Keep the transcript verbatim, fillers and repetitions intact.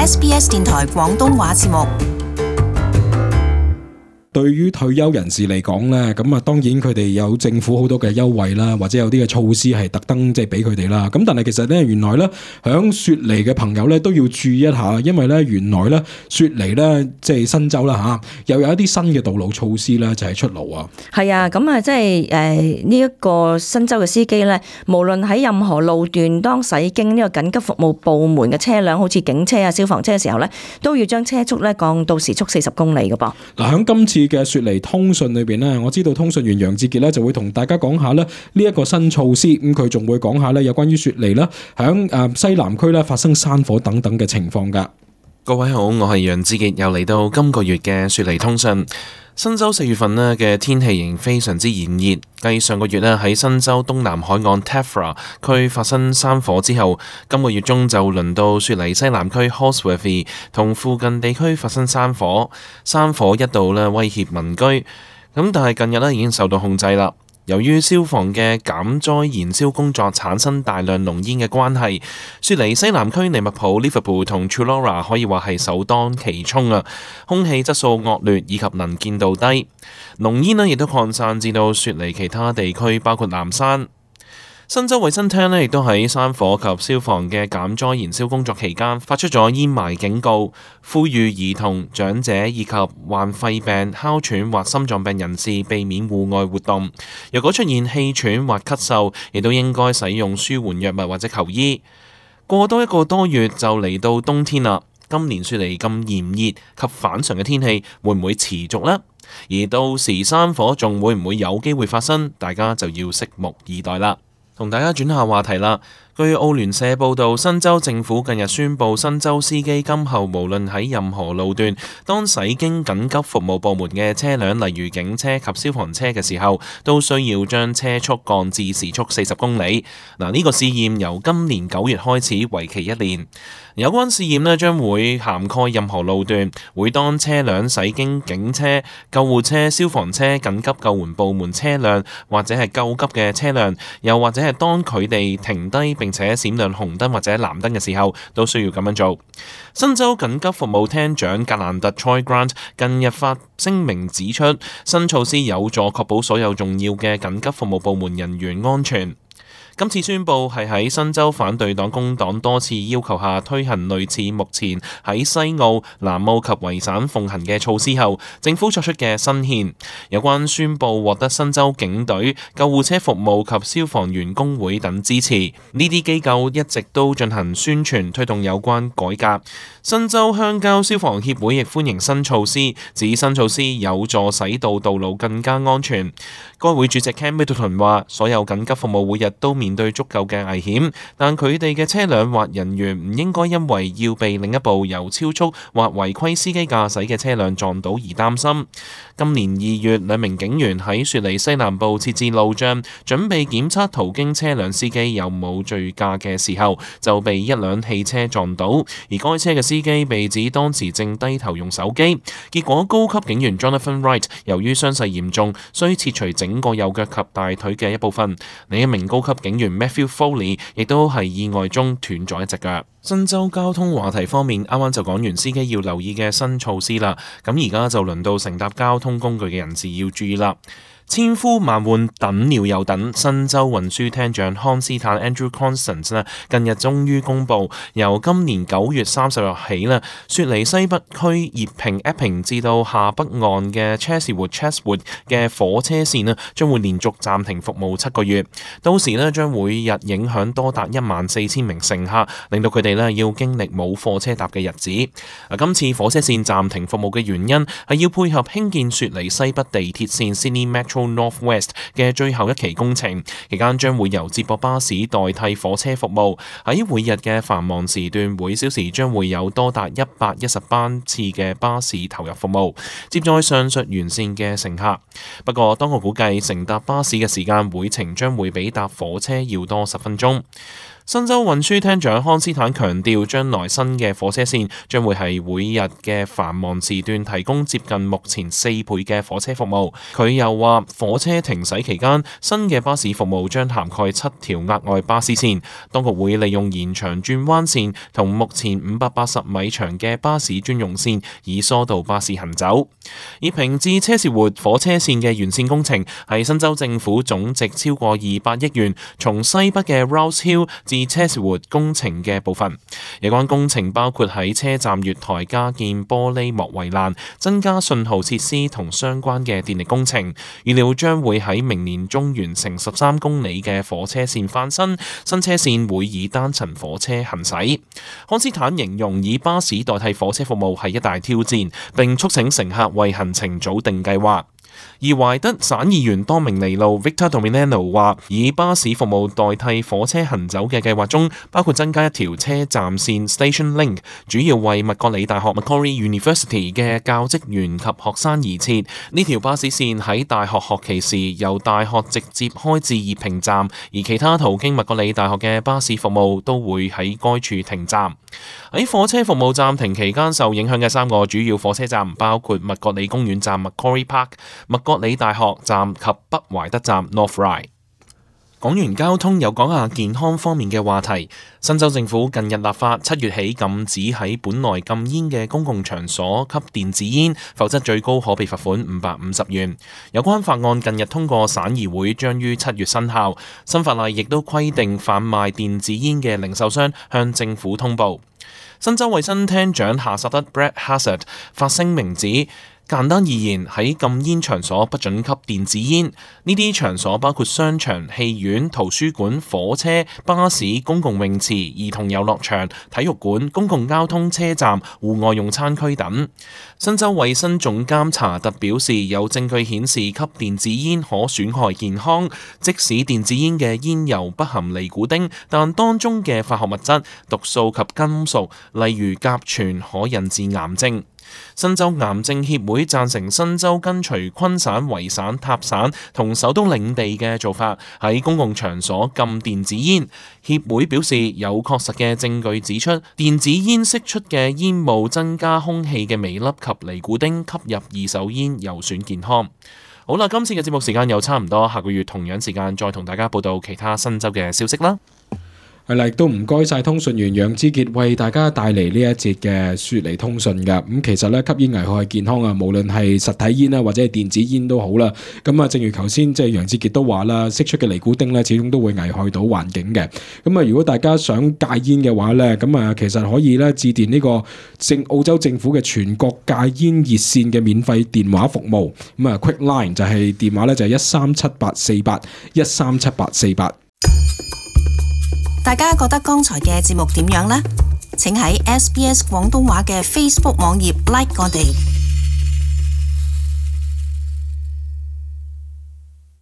S B S 電台廣東話節目。對於退休人士嚟講咧，咁啊當然佢哋有政府好多嘅優惠啦，或者有啲嘅措施係特登即係俾佢哋啦。咁但係其實咧，原來咧響雪梨嘅朋友咧都要注意一下，因為咧原來咧雪梨咧即係新州啦嚇，又有一啲新嘅道路措施咧就係出爐啊。係啊，咁啊即係誒呢一個新州嘅司機咧，無論喺任何路段，當駛經呢個緊急服務部門嘅車輛，好似警車啊、消防車嘅時候咧，都要將車速咧降到時速四十公里嘅噃。嗱，響今次嘅雪梨通訊裏邊咧，我知道通訊員楊志傑咧就會同大家講下咧呢一個新措施，咁佢仲會講下咧有關於雪梨啦，響誒西南區咧發生山火等等嘅情況噶。各位好，我係楊志傑，又嚟到今個月嘅雪梨通訊。新州四月份呢嘅天氣仍非常之炎熱，繼上個月呢喺新州東南海岸 Tefra 區發生山火之後，今個月中就輪到雪梨西南區 Holsworthy 同附近地區發生山火，山火一度呢威脅民居，咁但係近日呢已經受到控制啦。由於消防嘅減災燃燒工作產生大量濃煙嘅關係，雪梨西南區利物浦 Liverpool 同 Chullora 可以話係首當其衝啊！空氣質素惡劣以及能見度低，濃煙呢亦都擴散至到雪梨其他地區，包括南山。新州衛生廳呢亦都喺山火及消防嘅減災燃燒工作期間發出咗煙霾警告，呼籲兒童、長者以及患肺病、哮喘或心臟病人士避免戶外活動。若果出現氣喘或咳嗽，亦都應該使用舒緩藥物或者求醫。過多一個多月就嚟到冬天啦，今年雪梨咁炎熱及反常嘅天氣會唔會持續呢？而到時山火仲會唔會有機會發生？大家就要拭目以待啦。同大家轉下話題啦。據澳聯社報導，新州政府近日宣布，新州司機今後無論喺任何路段，當駛經緊急服務部門嘅車輛，例如警車及消防車嘅時候，都需要將車速降至時速四十公里。嗱，呢個試驗由今年九月開始，為期一年。有關試驗呢將會涵蓋任何路段，會當車輛駛經警車、救護車、消防車、緊急救援部門車輛或者係救急嘅車輛，又或者係當佢哋停低並且閃亮紅燈或者藍燈嘅時候，都需要咁樣做。新州緊急服務廳長格蘭特 Troy Grant 近日發聲明指出，新措施有助確保所有重要嘅緊急服務部門人員安全。今次宣布係喺新州反對黨工黨多次要求下推行類似目前喺西澳、南澳及維省奉行嘅措施後，政府作出嘅新憲。有關宣布獲得新州警隊、救護車服務及消防員工會等支持，呢啲機構一直都進行宣傳推動有關改革。新州鄉郊消防協會亦歡迎新措施，指新措施有助使到道路更加安全。該會主席 Ken Middleton 話：所有緊急服務每日都面對足夠嘅危險，但佢哋嘅車輛或人員唔應該因為要被另一部由超速或違規司機駕駛嘅車輛撞到而擔心。今年二月，兩名警員喺雪梨西南部設置路障，準備檢測途經車輛司機有冇醉駕嘅時候，就被一輛汽車撞到，而該車嘅司機被指當時正低頭用手機。結果高級警員 Jonathan Wright 由於傷勢嚴重，需切除整個右腳及大腿嘅一部分。另一名高級警員 Matthew Foley 亦都係意外中斷咗一隻腳。新州交通話題方面，啱啱就講完司機要留意嘅新措施啦，咁而家就輪到乘搭交通工具嘅人士要注意啦。千呼萬喚等了又等，新州運輸廳長康斯坦 Andrew Constance 呢近日終於公佈，由今年九月三十日起呢，雪梨西北區熱平 Epping 至到下北岸嘅 Chesswood Chesswood 嘅火車線呢將會連續暫停服務七個月，到時呢將每日影響多達一萬四千名乘客，令到佢哋呢要經歷冇貨車搭嘅日子。啊，今次火車線暫停服務嘅原因係要配合興建雪梨西北地鐵線 Sydney Metro North West 嘅最後一期工程，期間將會由接駁巴士代替火車服務。喺每日嘅繁忙時段，每小時將會有多達一百一十班次嘅巴士投入服務，接載上述沿線嘅乘客。不過，當局估計乘搭巴士嘅時間每程將會比搭火車要多十分鐘。新州運輸廳長康斯坦強調，將來新嘅火車線將會係每日嘅繁忙時段提供接近目前四倍嘅火車服務。佢又話，火車停駛期間，新嘅巴士服務將涵蓋七條額外巴士線。當局會利用延長轉彎線同目前五百八十米長嘅巴士專用線，以疏導巴士行走。而平治車士活火車線嘅完善工程係新州政府總值超過二百億元，從西北嘅 Rouse Hill 至車士活工程嘅部分。有關工程包括喺車站月台加建玻璃幕圍欄、增加信號設施同相關嘅電力工程。預料將會喺明年中完成十三公里嘅火車線翻新，新車線會以單層火車行駛。康斯坦形容以巴士代替火車服務係一大挑戰，並促請乘客為行程早定計劃。而懷德省議員多明尼路 Victor Dominano 話，以巴士服務代替火車行走嘅計劃中，包括增加一條車站線 Station Link， 主要為麥覺理大學 Macquarie University 嘅教職員及學生而設。呢條巴士線喺大學學期時由大學直接開至熱平站，而其他途經麥覺理大學嘅巴士服務都會喺該處停站。喺火車服務暫停期間受影響嘅三個主要火車站包括麥覺理公園站 Macquarie Park、麥覺理大學站及北懷德站 North Ryde。講完交通，又講下健康方面嘅話題。新州政府近日立法，七月起禁止喺本來禁煙嘅公共場所吸電子煙，否則最高可被罰款五百五十元。有關法案近日通過省議會，將於七月生效。新法例亦都規定販賣電子煙嘅零售商向政府通報。新州衛生廳長夏薩德 Brett Hazzard 發聲明指，簡單而言，喺禁煙場所不准吸電子煙。呢啲場所包括商場、戲院、圖書館、火車、巴士、公共泳池、兒童遊樂場、體育館、公共交通車站、戶外用餐區等。新州衛生總監查特表示，有證據顯示吸電子煙可損害健康，即使電子煙嘅煙油不含尼古丁，但當中嘅化學物質、毒素及金屬，例如甲醛，可引致癌症。新州癌症協會贊成新州跟隨昆省、維省、塔省同首都領地嘅做法，喺公共場所禁電子煙。協會表示，有確實嘅證據指出，電子煙釋出嘅煙霧增加空氣嘅微粒及尼古丁吸入二手煙，有損健康。好啦，今次嘅節目時間又差唔多，下個月同樣時間再同大家報道其他新州嘅消息啦。係啦，亦都唔該晒通訊員楊之傑為大家帶嚟呢一節嘅雪梨通訊㗎。咁其實咧，吸煙危害健康啊，無論係實體煙啦，或者係電子煙都好啦。咁啊，正如頭先即係楊之傑都話啦，釋出嘅尼古丁咧，始終都會危害到環境嘅。咁啊，如果大家想戒煙嘅話咧，咁啊，其實可以咧致電呢個政澳洲政府嘅全國戒煙熱線嘅免費電話服務。咁啊 ，Quick Line 就係電話咧就係一三七八四八一三七八四八。大家覺得剛才嘅節目點樣呢？請喺 S B S 廣東話嘅 Facebook 網頁 like 我哋。